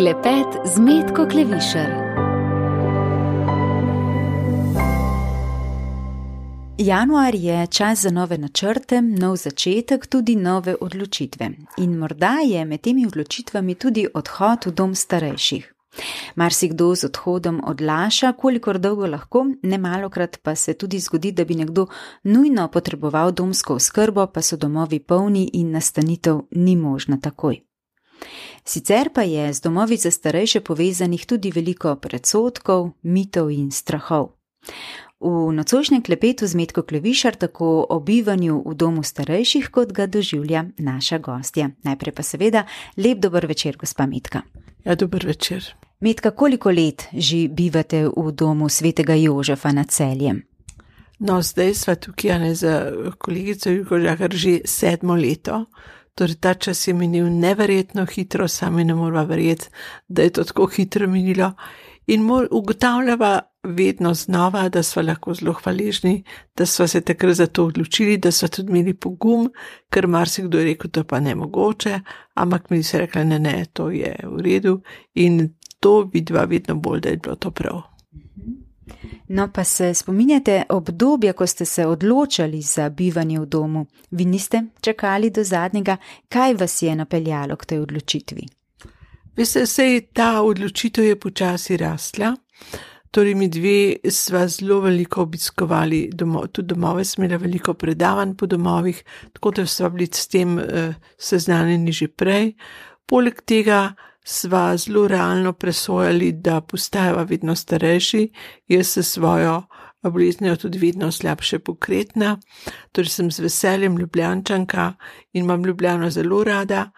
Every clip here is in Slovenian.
Klepet z Metko Klevišar. Januar je čas za nove načrte, nov začetek, tudi nove odločitve. In morda je med temi odločitvami tudi odhod v dom starejših. Marsikdo z odhodom odlaša, kolikor dolgo lahko, nemalokrat pa se tudi zgodi, da bi nekdo nujno potreboval domsko oskrbo, pa so domovi polni in nastanitev ni možna takoj. Sicer pa je z domovi za starejše povezanih tudi veliko predsodkov, mitov in strahov. V nocojšnjem klepetu z Metko Klevišar tako o bivanju v domu starejših, kot ga doživlja naša gostja. Najprej pa seveda lep dober večer, gospa Metka. Ja, dober večer. Metka, koliko let že bivate v domu svetega Jožefa nad Celjem? No, zdaj sva tukaj, ne, za kolegico Julko Žahar že 7. leto. Torej, ta čas je minil neverjetno hitro, sami ne morava verjeti, da je to tako hitro minilo. In ugotavljava vedno znova, da sva lahko zelo hvaležni, da sva se takrat za to odločili, da sva tudi imeli pogum, ker marsikdo je rekel, to pa nemogoče, ampak mi se rekla, ne, to je v redu in to vidva vedno bolj, da je bilo to prav. No, pa se spominjate obdobja, ko ste se odločali za bivanje v domu. Vi niste čakali do zadnjega, kaj vas je napeljalo k tej odločitvi? Veste, sej ta odločitev je počasi rastla, torej mi dve sva zelo veliko obiskovali tudi domove, smo imeli veliko predavanj po domovih, tako da sva bili s tem seznanjeni že prej. Poleg tega sva zelo realno presojali, da postajava vedno starejši, jaz se svojo boleznijo tudi vedno slabše pokretna, torej sem z veseljem Ljubljančanka in imam Ljubljano zelo rada,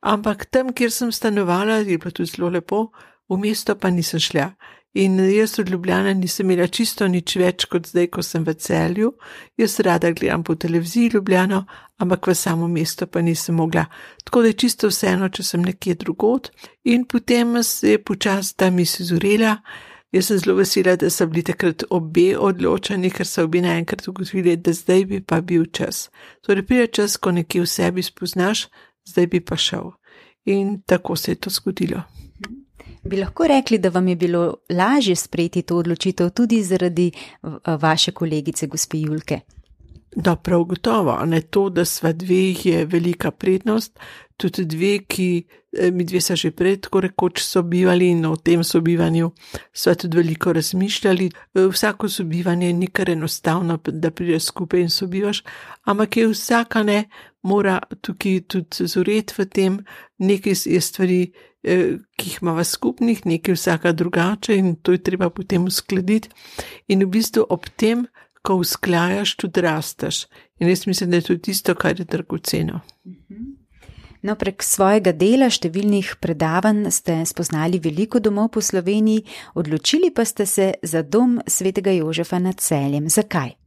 ampak tam, kjer sem stanovala, je bilo tudi zelo lepo, v mesto pa nisem šla. In jaz od Ljubljane nisem imela čisto nič več kot zdaj, ko sem v Celju. Jaz rada gledam po televiziji Ljubljano, ampak v samo mesto pa nisem mogla. Tako da je čisto vseeno, če sem nekje drugod. In potem se je počasi ta misel zorela. Jaz sem zelo vesela, da so bili takrat obe odločeni, ker so obi naenkrat ugotovili, da zdaj bi pa bil čas. Torej pride čas, ko nekje v sebi spoznaš, zdaj bi pa šel. In tako se je to zgodilo. Bi lahko rekli, da vam je bilo lažje sprejeti to odločitev tudi zaradi vaše kolegice, gospe Julke? Da, prav gotovo. Ne, to, da sva dve, je velika prednost. Tudi dve, mi dve so že prej tako rekoč sobivali in o tem sobivanju sva tudi veliko razmišljali. Vsako sobivanje ni kar enostavno, da prideš skupaj in sobivaš, ampak je vsaka mora tukaj tudi zoreti v tem, nekaj je stvari, ki jih imava skupnih, nekaj vsaka drugače in to je treba potem uskladiti. In v bistvu ob tem, ko usklajaš, tudi rasteš. In jaz mislim, da je to tisto, kar je dragoceno. No, prek svojega dela, številnih predavanj ste spoznali veliko domov po Sloveniji, odločili pa ste se za dom svetega Jožefa nad Celjem. Zakaj?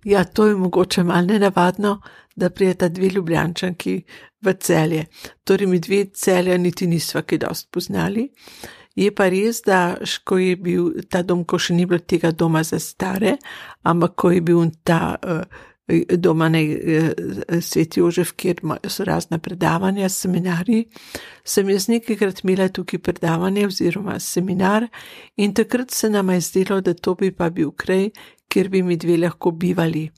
Ja, to je mogoče malo nenavadno, da prijeta dve Ljubljančanki v Celje. Torej mi dve Celja niti nisva kaj dosti poznali. Je pa res, da ko je bil ta dom, ko še ni bilo tega doma za stare, ampak ko je bil ta doma Sveti Jožef, kjer so razna predavanja, seminarji, sem jaz nekajkrat imela tukaj predavanje oziroma seminar in takrat se nama je zdelo, da to bi pa bil kraj, kjer bi mi dve lahko bivali.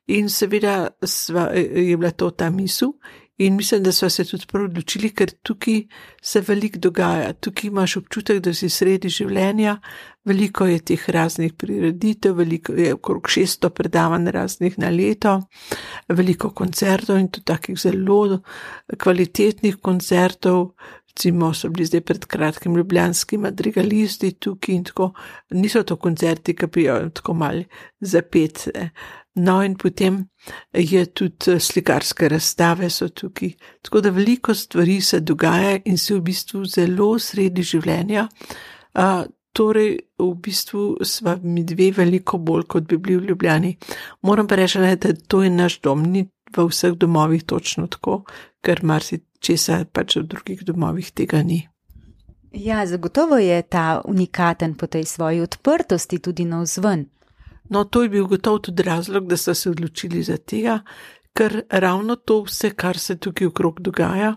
In seveda je bila to ta misel in mislim, da sva se tudi prav odločili, ker tukaj se veliko dogaja. Tukaj imaš občutek, da si sredi življenja, veliko je teh raznih prireditev, veliko je okrog 600 predavanj raznih na leto, veliko koncertov in tudi takih zelo kvalitetnih koncertov. Recimo so bili zdaj pred kratkim ljubljanski madrigalisti tukaj in tako. Niso to koncerti, ki prijo tako malo zapet. No in potem je tudi slikarske razstave so tukaj. Tako da veliko stvari se dogaja in si v bistvu zelo sredi življenja. Torej v bistvu sva mi dve veliko bolj, kot bi bili v Ljubljani. Moram pa reči, da to je naš dom, ni v vseh domovih točno tako, ker česa pač v drugih domovih tega ni. Ja, zagotovo je ta unikaten po tej svoji odprtosti tudi navzven. No, to je bil gotovo tudi razlog, da so se odločili za tega, ker ravno to vse, kar se tukaj okrog dogaja,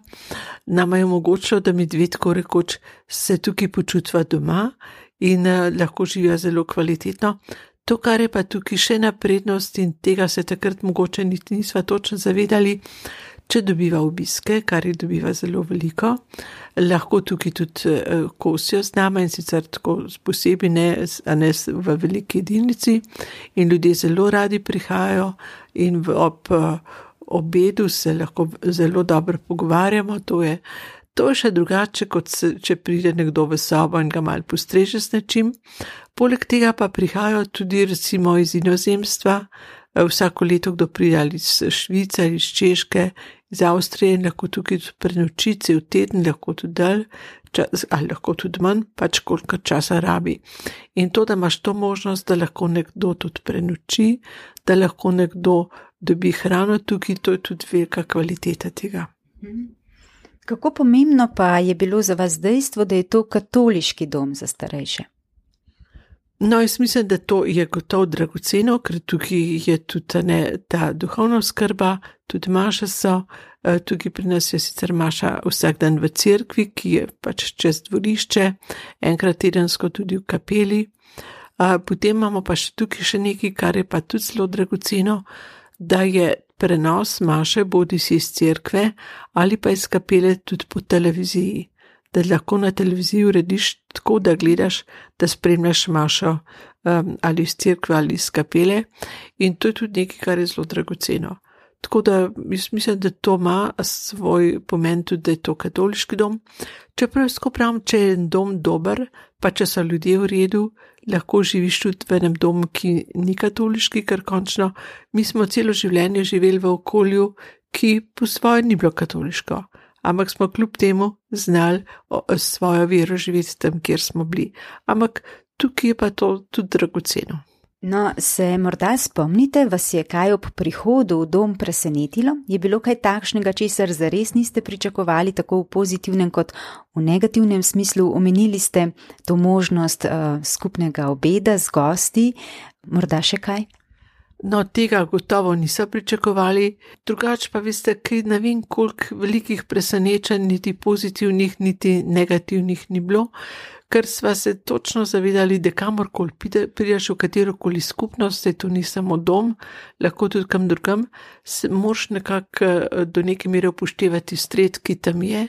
nam je omogočilo, da mi dve tako rekoč se tukaj počutva doma in lahko živijo zelo kvalitetno. To, kar je pa tukaj še naprednost in tega se takrat mogoče niti nisva točno zavedali, če dobiva obiske, kar jih dobiva zelo veliko, lahko tukaj tudi kosijo z nama in sicer tako posebej ne v veliki jedilnici in ljudje zelo radi prihajajo in ob obedu se lahko zelo dobro pogovarjamo, to je še drugače, kot če pride nekdo v sobo in ga malo postreže s nečim. Poleg tega pa prihajajo tudi recimo iz inozemstva, vsako leto kdo pride ali iz Švice ali iz Češke, iz Avstrije in lahko tukaj tudi prenoči cel teden, lahko tudi dalj, ali lahko tudi manj, pač koliko časa rabi. In to, da imaš to možnost, da lahko nekdo tudi prenoči, da lahko nekdo dobi hrano tukaj, to je tudi velika kvaliteta tega. Kako pomembno pa je bilo za vas dejstvo, da je to katoliški dom za starejše? No, jaz mislim, da to je gotovo dragoceno, ker tukaj je tudi ta duhovna oskrba, tudi maše so, tukaj pri nas je sicer maša vsak dan v cerkvi, ki je pač čez dvorišče, enkrat tedensko tudi v kapeli. Potem imamo pa še tukaj še nekaj, kar je pa tudi zelo dragoceno, da je prenos maše bodi si iz cerkve ali pa iz kapele tudi po televiziji, da lahko na televiziji urediš tako, da gledaš, da spremljaš mašo ali iz cerkve ali iz kapele in to je tudi nekaj, kar je zelo dragoceno. Tako da jaz mislim, da to ima svoj pomen tudi, da je to katoliški dom. Čeprav jaz pravim, če je dom dober, pa če so ljudje v redu, lahko živiš tudi v enem domu, ki ni katoliški, ker končno mi smo celo življenje živeli v okolju, ki po svoje ni bilo katoliško, ampak smo kljub temu znali svojo vero živeti tam, kjer smo bili. Ampak tukaj je pa to tudi dragoceno. No, se morda spomnite, vas je kaj ob prihodu v dom presenetilo? Je bilo kaj takšnega, česar zares niste pričakovali, tako v pozitivnem kot v negativnem smislu? Omenili ste to možnost skupnega obeda z gosti, morda še kaj? No, tega gotovo niso pričakovali, drugače pa veste, kaj ne vem, koliko velikih presenečenj, niti pozitivnih, niti negativnih ni bilo, ker sva se točno zavedali, da kamorkoli prideš v katerokoli skupnost, se to ni samo dom, lahko tudi kam drugam, moraš nekako do neke mere upoštevati stred, ki tam je,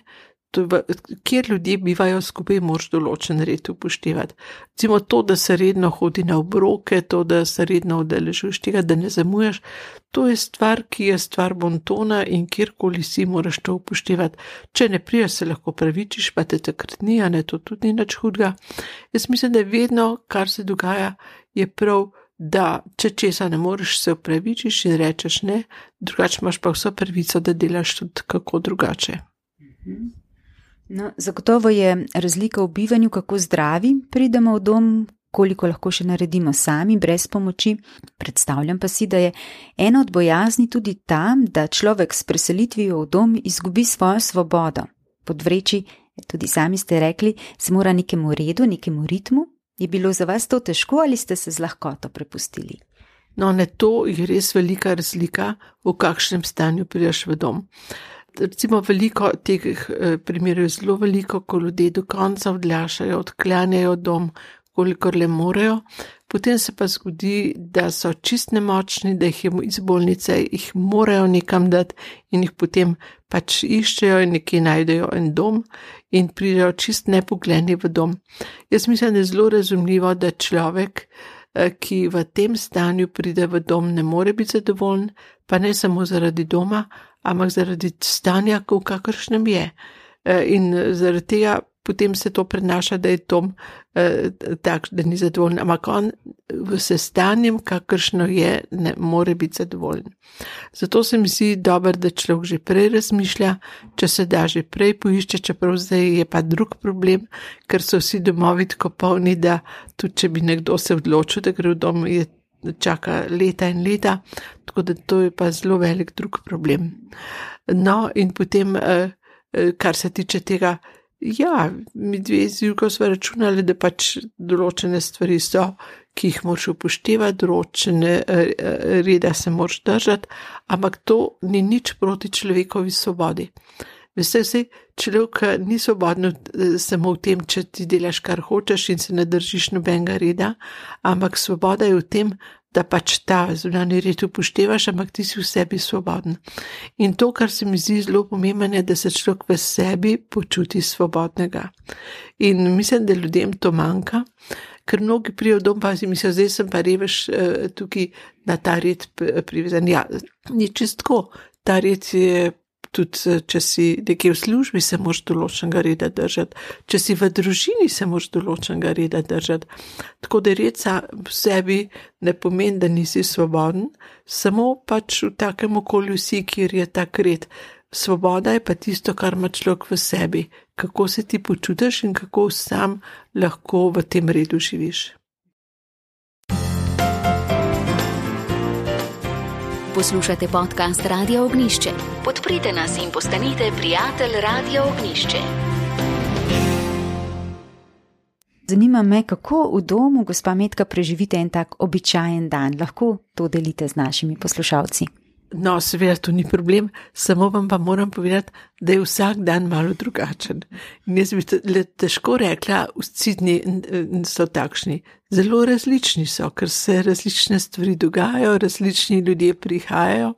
kjer ljudje bivajo skupaj, moraš določen red upoštevati. Recimo to, da se redno hodi na obroke, to, da se redno udeležuješ tega, da ne zamujaš, to je stvar, ki je stvar bontona in kjerkoli si moraš to upoštevati. Če ne priješ, se lahko pravičiš, pa te takrat ni, a ne, to tudi ni nič hudega. Jaz mislim, da je vedno, kar se dogaja, je prav, da če česa ne moreš, se opravičiš in rečeš ne, drugače imaš pa vso pravico, da delaš tudi kako drugače. No, zagotovo je razlika v bivanju, kako zdravi pridemo v dom, koliko lahko še naredimo sami, brez pomoči. Predstavljam pa si, da je ena od bojazni tudi ta, da človek s preselitvijo v dom izgubi svojo svobodo. Podvreči, tudi sami ste rekli, se mora nekemu redu, nekemu ritmu. Je bilo za vas to težko ali ste se z lahkoto prepustili? No, ne, to je res velika razlika, v kakšnem stanju prideš v dom. Recimo veliko teh primerov je zelo veliko, ko ljudje do konca odlašajo, odklanjajo dom, kolikor le morejo, potem se pa zgodi, da so čist nemočni, da jih je iz bolnice, jih morajo nekam dati in jih potem pač iščejo in nekje najdejo en dom in pridejo čist nepogledni v dom. Jaz mislim, da je zelo razumljivo, da človek, ki v tem stanju pride v dom, ne more biti zadovoljen, pa ne samo zaradi doma, ampak zaradi stanja, v kakršnem je. In zaradi tega potem se to prenaša, da je dom tak, da ni zadovoljen, ampak on s stanjem, kakršno je, ne more biti zadovoljen. Zato se mi zdi dobro, da človek že prej razmišlja, če se da že prej poišče, čeprav zdaj je pa drug problem, ker so vsi domovi tako polni, da tudi če bi nekdo se odločil, da gre v dom, je čaka leta in leta, tako da to je pa zelo velik drug problem. No, in potem, kar se tiče tega, Ja, mi dve z Julko sva računali, da pač določene stvari so, ki jih moraš upoštevati, določene reda se moraš držati, ampak to ni nič proti človekovi svobodi. Vse, človek ni svobodno samo v tem, če ti delaš, kar hočeš in se ne držiš nobenega reda, ampak svoboda je v tem, da pač ta zunanji red upoštevaš, ampak ti si v sebi svoboden. In to, kar se mi zdi zelo pomembno, je, da se človek v sebi počuti svobodnega. In mislim, da ljudem to manjka, ker mnogi prijo dom pa si mislijo, zdaj sem pa revež tukaj na ta red privezan. Ja, ni čistko, ta red je tudi, če si nekje v službi, se moraš določenega reda držati, če si v družini, se moraš določenega reda držati. Tako da red v sebi ne pomeni, da nisi svoboden, samo pač v takem okolju si, kjer je tak red. Svoboda je pa tisto, kar ima človek v sebi, kako se ti počutiš in kako sam lahko v tem redu živiš. Poslušate podcast Radio Ognjišče. Podprite nas in postanite prijatelj Radio Ognjišče. Zanima me, kako v domu, gospa Metka, preživite en tak običajen dan. Lahko to delite z našimi poslušalci? No, seveda, to ni problem, samo vam pa moram povedati, da je vsak dan malo drugačen. In jaz bi težko rekla, vsi dni so takšni. Zelo različni so, ker se različne stvari dogajajo, različni ljudje prihajajo.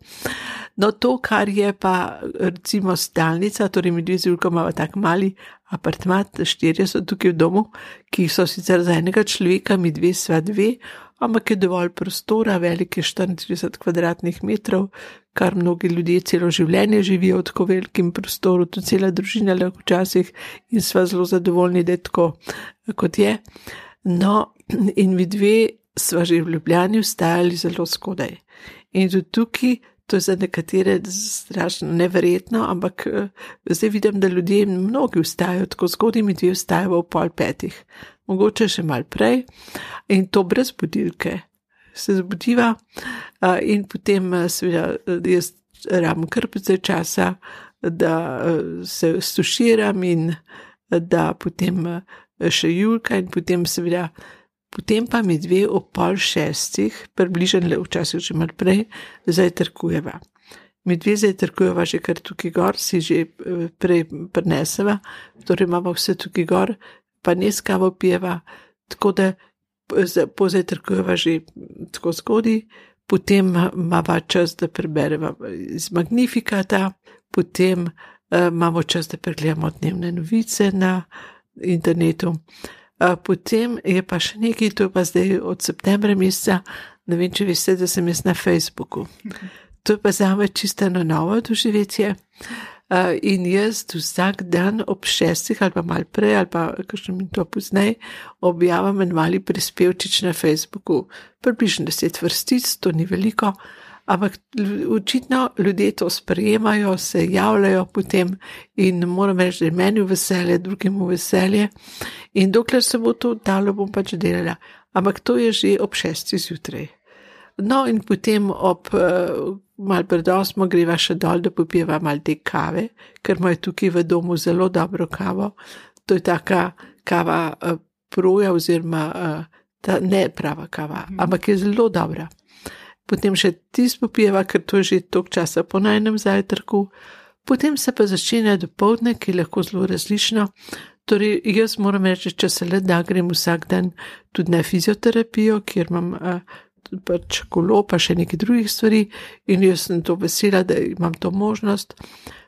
No, to, kar je pa recimo stalnica, torej mi dve z Julko imamo tak mali apartmat, 4 so tukaj v domu, ki so sicer za enega človeka, mi dve sva dve, ampak je dovolj prostora, velik je 34 kvadratnih metrov, kar mnogi ljudje celo življenje živijo v tako velikem prostoru, tudi cela družina lahko včasih in sva zelo zadovoljni, da je tako, kot je. No, in mi dve sva že v Ljubljani vstajali zelo skodaj. In tudi tukaj, to je za nekatere strašno neverjetno, ampak zdaj vidim, da ljudje mnogi vstajajo tako zgodaj, mi dve vstajamo ob 4:30. Mogoče še malo prej, in to brez budilke. Se zbudiva in potem seveda jaz rabim kar precej časa, da se stuširam in da potem še Julka in potem seveda, potem pa mi dve ob 5:30, približno včasih že malo prej, zajtrkujeva. Mi dve zajtrkujeva že kar tukaj gor, si že prej prineseva, torej imamo vse tukaj gor, pa ne s kavo pijeva, tako da pozajtrkujeva že tako zgodaj, potem imava čas, da prebereva iz Magnifikata, potem imamo čas, da pregledamo dnevne novice na internetu, potem je pa še nekaj, to je pa zdaj od septembra meseca, ne vem, če veste, da sem jaz na Facebooku. To je pa zame čisto novo doživetje. In jaz vsak dan ob 6 ali pa malo prej ali pa kakšno minuto pozneje objavim en mali prispevčič na Facebooku. Približno 10 vrstic, to ni veliko, ampak očitno ljudje to sprejemajo, se javljajo potem in moram reči, da je meni veselje, drugemu veselje in dokler se bo to dalo, bom pač delala. Ampak to je že ob 6 zjutraj. No in potem ob malo pred 8 greva še dol, da popijeva malo te kave, ker imajo tukaj v domu zelo dobro kavo. To je taka kava proja oziroma ne prava kava, ampak je zelo dobra. Potem še tisto popijeva, ker to je že toliko časa po najnem zajtrku. Potem se pa začne dopoldne, ki je lahko zelo različno. Torej, jaz moram reči, če se le da, grem vsak dan tudi na fizioterapijo, kjer imam pač kolo, pa še nekaj drugih stvari in jaz sem to vesela, da imam to možnost.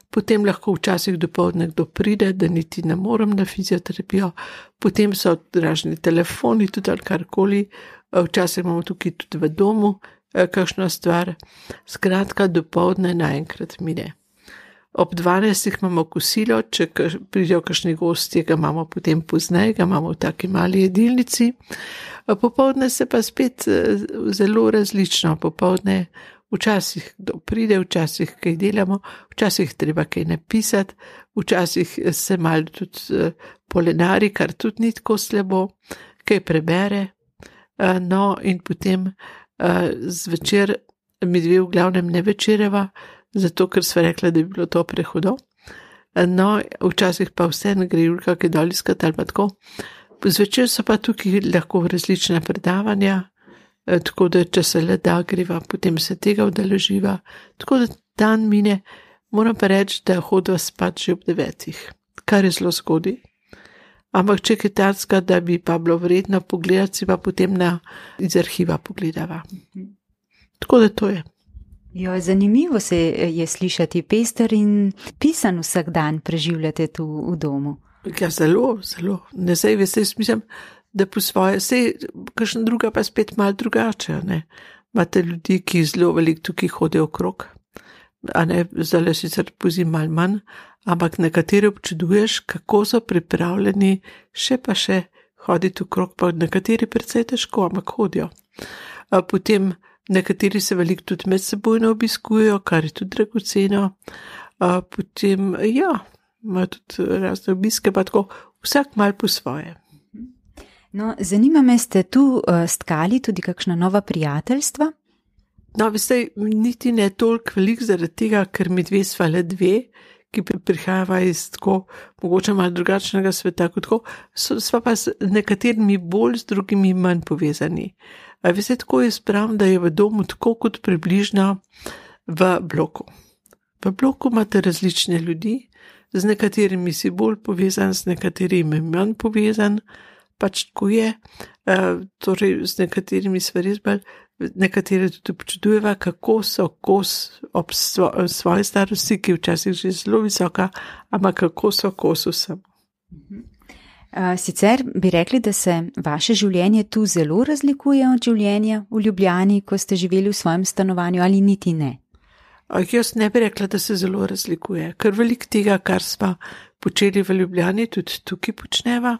Potem lahko včasih dopoldne kdo pride, da niti ne morem na fizioterapijo. Potem so razni telefoni, tudi ali karkoli. Včasih imamo tukaj tudi v domu kakšno stvar. Skratka, dopoldne naenkrat mine. Ob 12 imamo kosilo, če pridejo kakšni gostje, ga imamo potem pozneje, ga imamo v taki mali jedilnici. Popoldne se pa spet zelo različno. Popoldne včasih kdo pride, včasih kaj delamo, včasih treba kaj napisati, včasih se malo tudi polenari, kar tudi ni tako slabo, kaj prebere. No in potem zvečer mi dve v glavnem ne večereva, zato ker sva rekla, da bi bilo to prehudo. No, včasih pa vse ne gre Julka, ki dol iskat ali pa tako. Zvečer so pa tukaj lahko različne predavanja, tako da če se le da greva, potem se tega udeleživa. Tako da dan mine, moram pa reči, da hodva spat že ob 9, kar je zelo zgodaj. Ampak če je takega, da bi pa bilo vredno pogledati, si pa potem iz arhiva pogledava. Tako da to je. Jo, zanimivo se je slišati, pester in pisan vsak dan preživljate tu v domu. Ja, zelo, zelo. Ne, sej mislim, da po svoje, sej kakšna druga pa spet malo drugače, ne. Imate ljudi, ki zelo veliko tukaj hodijo okrog, a ne, zdaj sicer pozim malo manj, ampak nekateri občuduješ, kako so pripravljeni še pa še hoditi okrog, pa nekateri precej težko, ampak hodijo. Potem nekateri se veliko tudi med sebojno obiskujejo, kar je tudi dragoceno. Potem, ja, imajo tudi razne obiske, pa tako vsak malo po svoje. No, zanima me, ste tu stkali tudi kakšna nova prijateljstva? No, veste, niti ne toliko veliko zaradi tega, ker mi dve sva le dve, ki prihajava iz tako mogoče malo drugačnega sveta kot tako, sva pa z nekaterimi bolj, z drugimi manj povezani. Veste, tako jaz pravim, da je v domu tako kot približno v bloku. V bloku imate različne ljudi, z nekaterimi si bolj povezan, z nekaterimi manj povezan, pač tako je, torej z nekaterimi sva res bolj, nekatere tudi občudujeva, kako so kos ob svoji starosti, ki je včasih že zelo visoka, ampak kako so kos vsem. Sicer bi rekli, da se vaše življenje tu zelo razlikuje od življenja v Ljubljani, ko ste živeli v svojem stanovanju, ali niti ne? Jaz ne bi rekla, da se zelo razlikuje, ker veliko tega, kar sva počeli v Ljubljani, tudi tukaj počneva,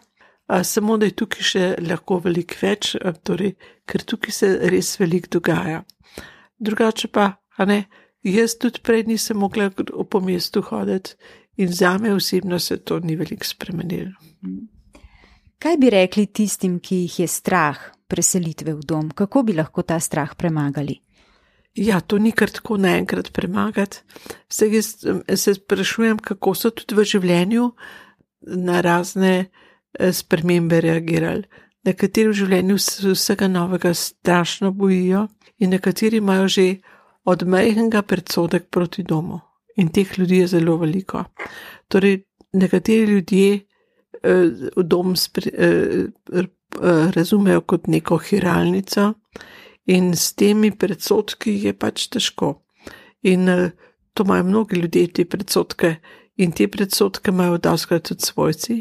samo da je tukaj še lahko veliko več, torej, ker tukaj se res veliko dogaja. Drugače pa, a ne, jaz tudi prej nisem mogla po mestu hoditi in zame osebno se to ni veliko spremenilo. Kaj bi rekli tistim, ki jih je strah preselitve v dom? Kako bi lahko ta strah premagali? Ja, to ni kar tako naenkrat premagati. Jaz se sprašujem, kako so tudi v življenju na razne spremembe reagirali. Nekateri v življenju se vsega novega strašno bojijo in nekateri imajo že od majhnega predsodek proti domu. In teh ljudi je zelo veliko. Torej, nekateri ljudje dom razumejo kot neko hiralnico in s temi predsodki je pač težko. In to imajo mnogi ljudje, te predsodke, in te predsodke imajo dostikrat tudi svojci.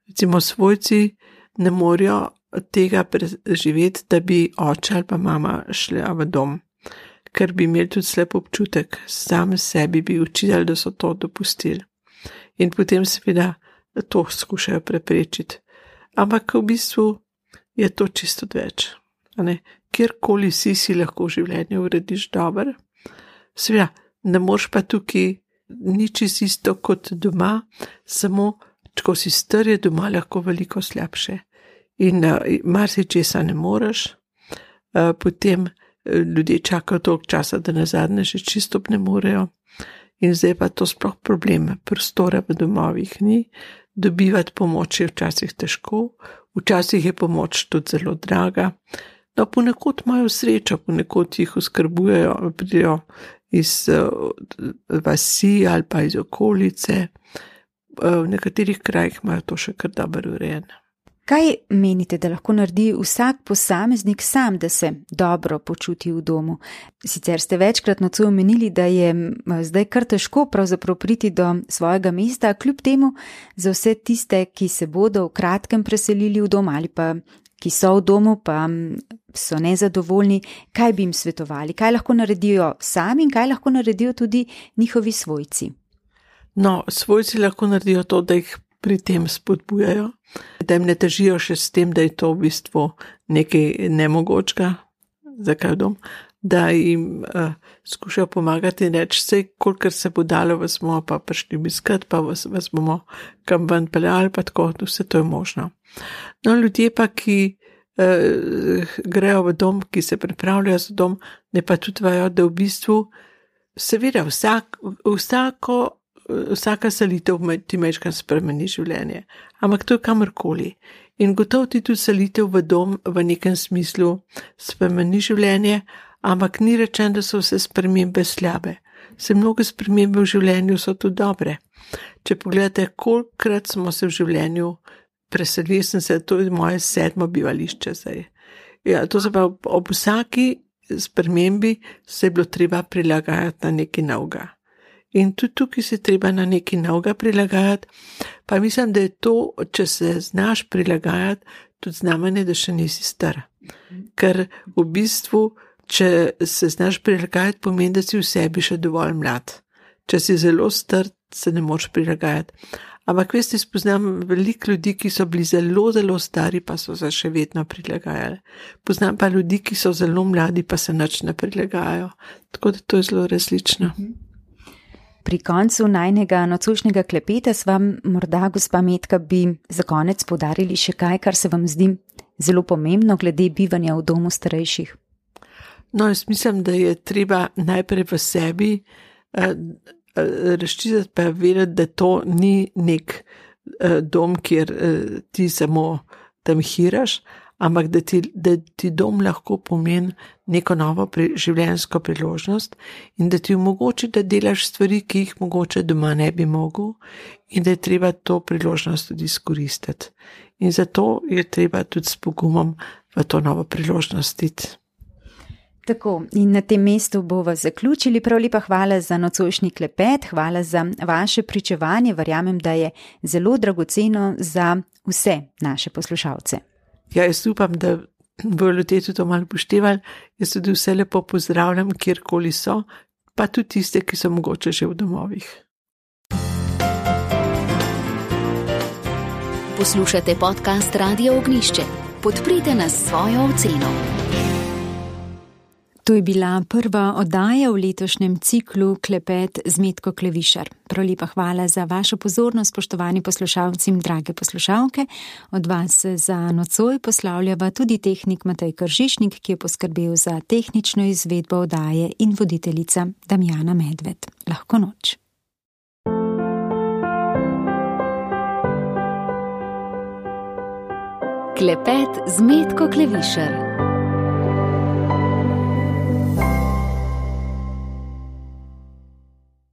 Recimo svojci ne morejo tega preživeti, da bi oče ali pa mama šla v dom, ker bi imeli tudi slep občutek, sami sebi bi učili, da so to dopustili. In potem seveda to skušajo preprečiti. Ampak v bistvu je to čisto več. Kjerkoli si lahko v življenju urediš dobro. Seveda, ne moreš pa tukaj nič isto kot doma, samo ko si star, je doma lahko veliko slabše. In marsičesa ne moreš, potem ljudje čakajo toliko časa, da nazadnje že čisto ne morejo. In zdaj pa to sploh problem, prostora v domovih ni, dobivati pomoč je včasih težko, včasih je pomoč tudi zelo draga. No, ponekod imajo srečo, ponekod jih oskrbujejo, pridejo iz vasi ali pa iz okolice. V nekaterih krajih imajo to še kar dobro urejeno. Kaj menite, da lahko naredi vsak posameznik sam, da se dobro počuti v domu? Sicer ste večkrat nocoj omenili, da je zdaj kar težko pravzaprav priti do svojega mesta, kljub temu za vse tiste, ki se bodo v kratkem preselili v dom ali pa ki so v domu, pa so nezadovoljni, kaj bi jim svetovali? Kaj lahko naredijo sami in kaj lahko naredijo tudi njihovi svojci? No, svojci lahko naredijo to, da jih pri tem spodbujajo, da jim ne težijo še s tem, da je to v bistvu nekaj nemogočega, zakaj v dom, da jim skušajo pomagati in reči, vse, kolikor se bo dalo, vas bomo pa prišli obiskat, pa vas bomo kam ven peljali, pa tako, vse to je možno. No, ljudje pa, ki grejo v dom, ki se pripravljajo za dom, ne pa tudi vajo, da v bistvu seveda vsako vsaka selitev ti majčkeno spremeni življenje, ampak to je kamorkoli. In gotovo ti tudi selitev v dom v nekem smislu spremeni življenje, ampak ni rečeno, da so vse spremembe slabe. Se mnoge spremembe v življenju so tudi dobre. Če pogledate, kolikrat smo se v življenju preselili, to je moje 7. bivališče zdaj. Ja, to se pa ob vsaki spremembi se je bilo treba prilagajati na nekaj novega. In tudi tukaj se treba na nekaj novega prilagajati, pa mislim, da je to, če se znaš prilagajati, tudi znamenje, da še nisi star. Ker v bistvu, če se znaš prilagajati, pomeni, da si v sebi še dovolj mlad. Če si zelo star, se ne moreš prilagajati. Ampak veste, spoznam veliko ljudi, ki so bili zelo, zelo stari, pa so se še vedno prilagajali. Poznam pa ljudi, ki so zelo mladi, pa se nič ne prilagajajo. Tako da to je zelo različno. Pri koncu najnega nocojšnjega klepeta sva morda, gospa Metka, bi za konec poudarili še kaj, kar se vam zdi zelo pomembno glede bivanja v domu starejših. No, jaz mislim, da je treba najprej v sebi razčistiti pa vedeti, da to ni nek dom, kjer ti samo tam hiraš, ampak da ti dom lahko pomeni neko novo življenjsko priložnost in da ti omogoči, da delaš stvari, ki jih mogoče doma ne bi mogel in da je treba to priložnost tudi izkoristiti. In zato je treba tudi s pogumom v to novo priložnost iti. Tako, in na tem mestu bova zaključili. Prav lepa hvala za nocojšnji klepet, hvala za vaše pričevanje. Verjamem, da je zelo dragoceno za vse naše poslušalce. Ja, jaz upam, da bodo ljudje tudi to malo upoštevali. Jaz tudi vse lepo pozdravljam, kjerkoli so, pa tudi tiste, ki so mogoče že v domovih. Poslušate podcast Radio Ognjišče. Podprite nas s svojo oceno. To je bila prva oddaja v letošnjem ciklu Klepet z Metko Klevišar. Prav lepa hvala za vašo pozornost, spoštovani poslušalci in drage poslušalke. Od vas za nocoj poslavljava tudi tehnik Matej Kržišnik, ki je poskrbel za tehnično izvedbo oddaje, in voditeljica Damjana Medved. Lahko noč. Klepet z Metko Klevišar.